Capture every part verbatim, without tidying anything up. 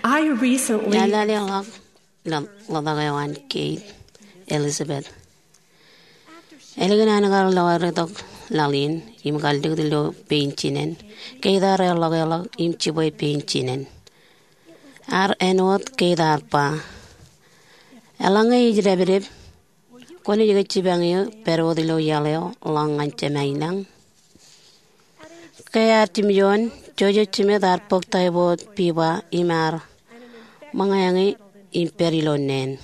I recently Eḷaḷḷọk ḷo-, ḷotak eo an Kate Elizabeth. Ālikin an kar loertok laḷ in im kallikūt ilo pein jinen, Kate ear eḷḷọkḷọk im jibwe pein jinen. Ear āinwōt Kate ear ba, eḷaññe ij dāpdep, kwōnaaj ke jipañ eō pād wōt ilo iaḷ eo ḷọk ñan Jemān lañ? Ke ear jimjuon, Joseph Smith ear bōk typhoid fever im ear ṃōñā ñe im pād ilo neen.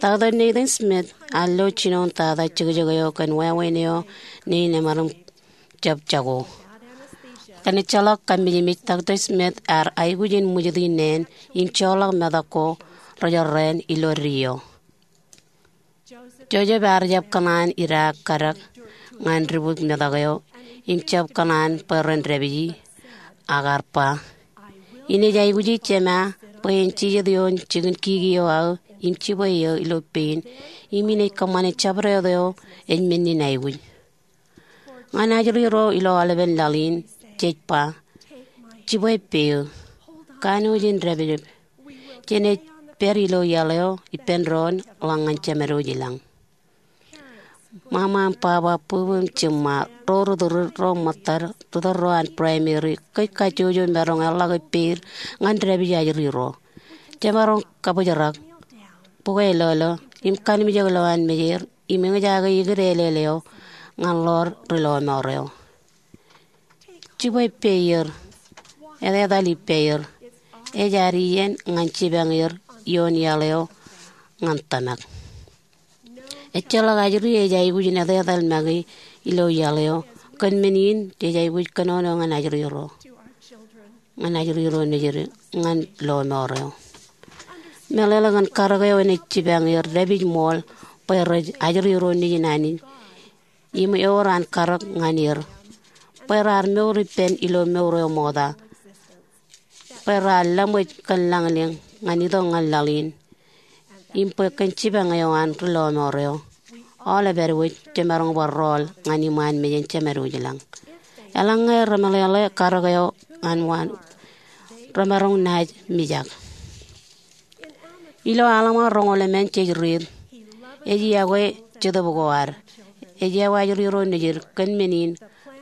Doctor Nathan Smith ear lo jinoin tata jekjek eo kōn wāween eo neen emaroñ jab jako. Kōn ejjeḷọk kammijmej, Doctor Smith ear aikuj in ṃwijiti neen im joḷọk metak ko rej jorrāān ilo deo. Joseph ear jab kōṇaan idaak kadak ñan dibwik metak eo im jab kōṇaan bwe ren dāpiji, ak ear ba, inaaj aikuji Jema bwe en jijet ioon jikin kiki eo aō im jibwe eō ilo pein, im inaaj kōṃṃane jabdewōt eo ej men in aikuj. Ñan ajri ro ilo aolepen laḷ in, jej ba, jibwe peeō. Kanooj in dāpdep. Jenaaj pād ilo iaḷ eo ippān doon ḷọk ñan Jemān lañ. Ṃaṃa im baba, bwibwi im jiṃṃa, ro ri-tōl, ro ṃōttad, ri-tōl ro an primary, kōj kajjojo maroñ eḷḷọk ippāer ñan dāpij ajri ro. Jemaroñ kabōjrak, bukwe lolo, im kanimjek lowaan mejeir, im eñjake ikid āleel eo ñan ḷoor ri-lọmọọr eo. Jibwe peer, etetal ippāer. Ej ad iien ñan jipañ er ioon iaḷ eo ñan tōmak. Ejjeḷọk ajri ej aikuj in etetal make ilo iaḷ eo, kōn men in jej aikuj kōnono ñan ajri ro, ñan ajri ro nejid, ñan lọmọọr eo. Meḷeḷe kōn karōk eo enaaj jipañ er dāpij ṃool bwe rej ajri ro nejin Anij im ewōr an karōk ñan er, bwe raar mour ippān ilo mour eo ṃokta, bwe raar laṃōj kōn lañlōñ ñan itok ñan laḷ in, im bwe kōn jipañ eo an ri-lọmọọr eo, aolep āinwōt jemaroñ bar rọọl ñan iṃaan mejān Jemān lañ. Eḷaññe remeḷeḷe karōk eo an waan, remaroñ naaj mijak. Ilo Alma roñoul emān jej riit, ej iọkwe jetōb ko ad. Ej iọkwe ajri ro nejid kōn men in,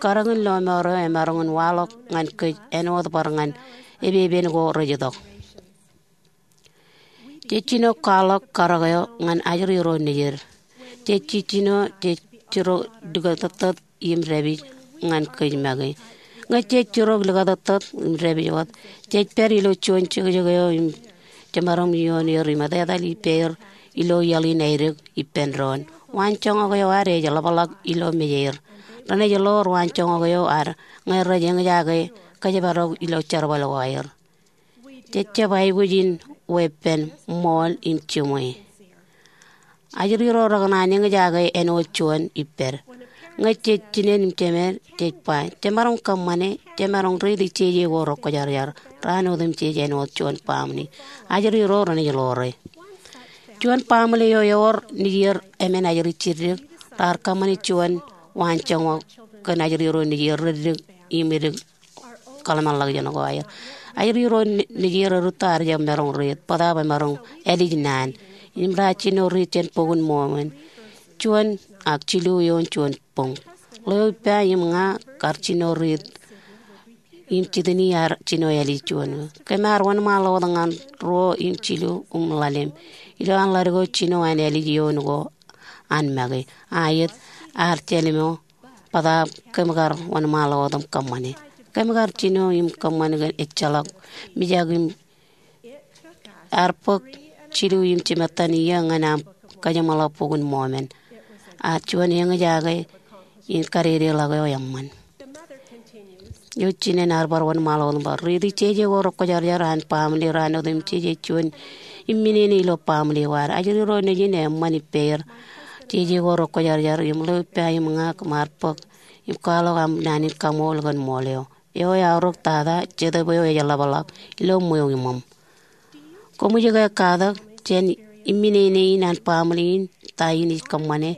karōk in lọmọọr eo emaroñ in waḷọk ñan kōj āinwōt bar ñan epepen ko rej itok. Jej jino kwaḷọk karōk eo ñan ajri ro nejid. Jej jijino, jej jino likatōttōt im dāpij ñan kōj make. Ñe jej jiroñ likatōttōt im dāpij wōt, jej pād ilo juon jekjek eo im jemaroñ ioon er im etetal ippāer ilo iaḷ in aedik ippān doon. Waanjoñak eo ad ej ḷapḷọk ilo mejeir. Renaaj ḷoor waanjoñak eo ad ñe rej eñjake kōjparok ilo jerbal ko aer. Jej jab aikuj in weeppān ṃool im jiṃwe. Ajri ro rekōṇaan eñjake āinwōt juon ippād. Ñe jej jinen im jemed, jej ba, jemaroñ kōṃṃane, jemaroñ riiti jeje ko rekwōjarjar raan otemjej āinwōt juon baaṃle. Ajri ro renaaj ḷoore. Juon baaṃle eo ewōr nejier emān ajri jiddik, raar kōṃṃane juon waanjoñak kōn ajri ro nejier reddik im edik kōḷmānḷọkjeṇ ko aer. Ajri ro nejier rūtto ear jab maroñ riit, bōtaab emaroñ ālij naan. Im raar jino riit jān Bok in Mormon, juon ak jilu ioon juon boñ. Ḷeo ippa im ña kar jino riit im jitini ear jino ālij juon. Kōm ar wōnṃaanḷọk wōt ñan ruo im jilu im ḷalem. Ilo an ḷadik eo jino an ālij ioon ko an make. Aet, ear jālimo, bōtaab kōm kar wōnṃaanḷọk wōt im kōṃṃane. Kōm kar jino im kōṃṃan kōn ejjeḷọk mijak im ear bōk jilu im jimettan iiō ñan aṃ kajeṃḷọk Bok in Mormon. Ak juon eñjake in kadedeḷọk eo eṃṃan. Eo jinen ear bar wōnṃaanḷọk wōt im bar riiti jeje ko rekwōjarjar an baaṃle raan otemjej ej juon im minene ilo baaṃle ko ad. Ajri ro nejin eṃṃan ippāer jeje ko rekwōjarjar im ḷeo ippa im ña kōm ar bōk im kwaḷọk aṃ naan in kaṃool kōn ṃool eo. Eo eaorōk tata, Jetōb eo ej ḷapḷọk ilo ṃweo iṃōṃ. Koṃij ke katak jān im minene in an baaṃle in ta in ij kōṃṃane?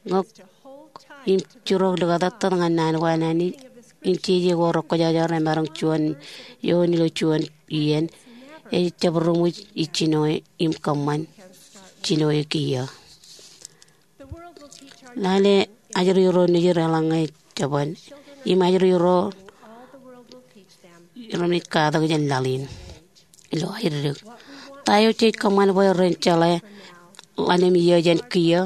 Ñe kwōj jiroñ likatōttōt ñan naan ko an Anij im jeje ko rekwōjarjar emaroñ juon eoon ilo juon iien, ejjab ruṃwij ijjino im kōṃṃan jino e kiiō. Lale ajri ro nejid eḷaññe jabōn im ajri ro renaaj katak jān laḷ in ilo aeddik. Ta eo jej kōṃṃan bwe ren jeḷā ḷalem iiō jān kiiō?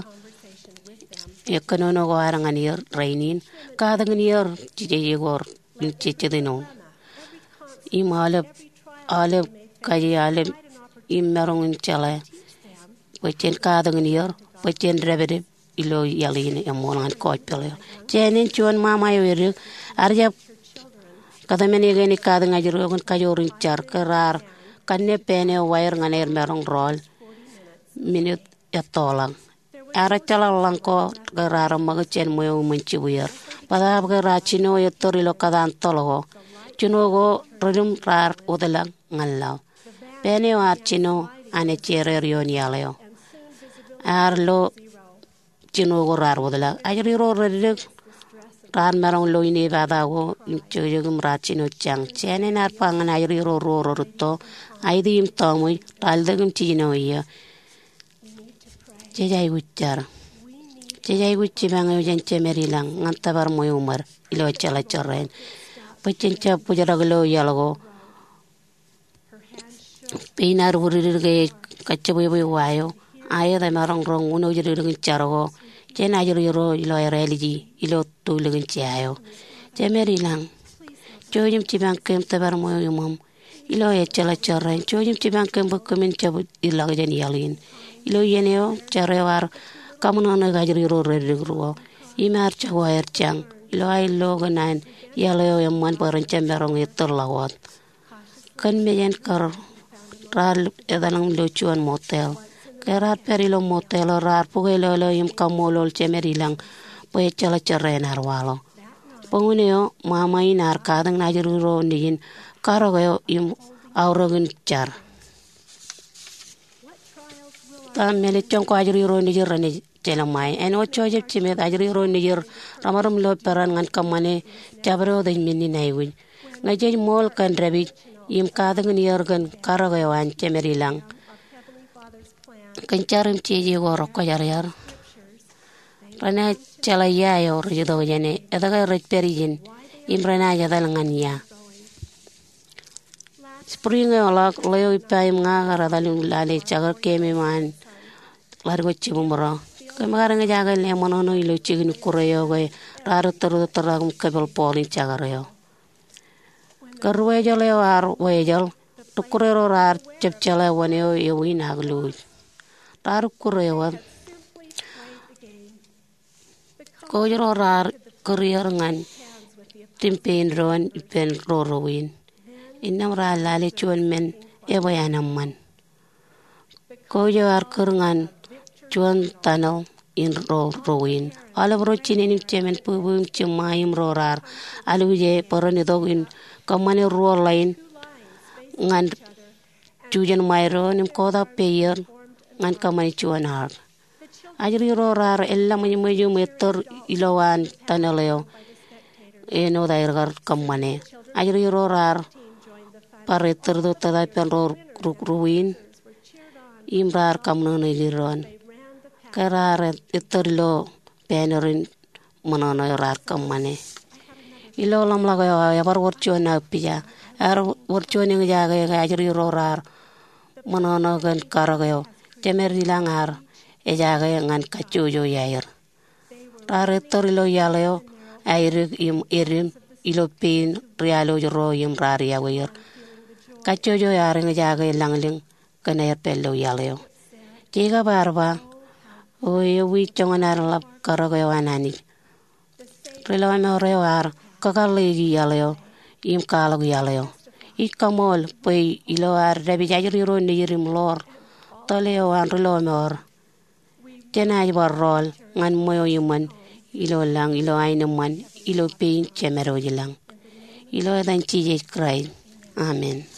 E kōnono ko ad ñan er rainin, katak in er jejjekor im jejjet ino im aolep, aolep kaje aolep im maroñ in jeḷā bwe jen katak in er bwe jen dāpdep ilo iaḷ in eṃool ñan gospel eo. Jān āne juon ṃaṃa eo edik, ear jab kōtmāne ke enaaj katak ajri ro kōn kajoor in jar ke raar kanne pāān eo wāween ñan aer maroñ rọọl minit ettoḷọk. Ear ejjeḷọk ḷọk ko ke raar ṃōk jān ṃweo iṃōn jibwier. Bōtaab ke raar jino ettōr ilo kōtaan toḷ ko, jino ko redim raar wōtlọk ñan laḷ. Pāān eo ear jino an ejjeer er ioon iaḷ eo. Ear lo jino ko raar wōtlọk. Ajri ro reddik raar maroñ lo inepata ko im jokjok im raar jino jañ. Jān āne ear ba ñan ajri ro ruo rerūtto, Aiti im Tọọmwōj, Ralitōk im Jijino Iiō. Jej aikuj jar. Jej aikuj jipañ eo jān Jemed ilañ ñan tōpar ṃweo iṃōd ilo ejjeḷọk jorrāān bwe jen jab bōjrak ilo iaḷ ko. Pein ad wūdikdik ke ej kajjibwebwe wa eo, aet emaroñ roñ wūnooj dikdik in jar ko jān ajri ro ilo aer āliji ilo tōl in jea eo. Jemed ilañ, jouj im jipañ kōm tōpar ṃweo iṃōṃ ilo ejjeḷọk jorrāān. Jouj im jipañ kōm bwe kōmin jab ilọk jān iaḷ in. Ilo iien eo jar eo ear kaṃōṇōṇōik ajri ro reddik ruo im ear jako aer jañ ilo aer lo kōn an iaḷ eo eṃṃan bwe ren jab maroñ ettōr ḷọk wōt. Kōn mejān kar raar etal im lo juon motel. Ke raar pād ilo motel eo raar bukweilọklọk im kaṃṃoolol Jemed ilañ bwe ejjeḷọk jorrāān ear waḷọk. Bōñōn eo ṃaṃa in ear katakin ajri ro nejin karōk eo im aorōk in jar. Ta mālejjoñ ko ajri ro nejin renaaj jelṃae? Āinwōt Joseph Smith, ajri ro nejin remaroñ lo peran ñan kōṃṃane jabdewōt ej men in aikuj. Ñe jej ṃool kōn dāpij im katakin er kōn karōk eo an Jemed ilañ kōn jar im jeje ko rekwōjarjar, renaaj jeḷā ia eo rej itok jāne, etke rej pād ijin, im renaaj etal ñan ia. Spring eo ḷọk, ḷeo ippa im ña kar etal im lale jekar kememej an ḷaddik ko jibūṃro. Kōm kar eñjake leṃōṇōṇō ilo jikin ikkure eo ke raar ettōrtōtrak im kōpel bọọl in jekar eo. Ke ruwājeḷ eo ear wājeḷ, ikkure ro raar jab jeḷā wōn eo ewi in ak luuj. Raar ikkure wōt. Coach ro raar kūr er ñan tim pein doon ippān ro ruo in. Innām raar lale juon men ebwe an eṃṃan. Coach eo ear kūr ñan juon tunnel in ro ruo in. Aolep ro jinen im jemān, bwibwi im jiṃṃa im ro raar alwōje bwe ren itok in kōṃṃane ruo ḷain ñan jujen ṃae doon im kotak peier ñan kōṃṃane juon aer. Ajri ro raar eḷḷaṃōjṃōj im ettōr ilowaan tunnel eo āinwōt aer kar kōṃṃane. Ajri ro raar bar ettōrtōtrak ippān ro ruo in im raar kaṃōṇōṇōik doon. Ke raar ettōr ilo pāān in ṃōṇōṇō eo raar kōṃṃane. Ilo ḷōmṇak eo aō ebar wōr juon aō pija. Ear wōr juon eñjake ke ajri ro raar ṃōṇōṇō kōn karōk eo. Jemed ilañ ear ejake ñan kajjojo iaer. Raar ettōr ilo iaḷ eo aedik im edim ilo pein rialwōj ro im raar iọkwe er. Kajjojo ear eñjake lañlōñ kōn aer pād ilo iaḷ eo. Jekob ear ba, O ewi joñan ad ḷap karōk eo an Anij. Ri lọmọọr eo ear kakōḷḷeiki iaḷ eo im kwaḷọk iaḷ eo. Ij kaṃool bwe ilo ad dāpij ajri ro nejid im ḷoor tōl eo an ri lọmọọr, jenaaj bar rọọl ñan ṃweo iṃōn ilo lañ, ilo aenōṃṃan, ilo pein Jemedwōj ilañ. Ilo etan Jisōs Kraist, amen.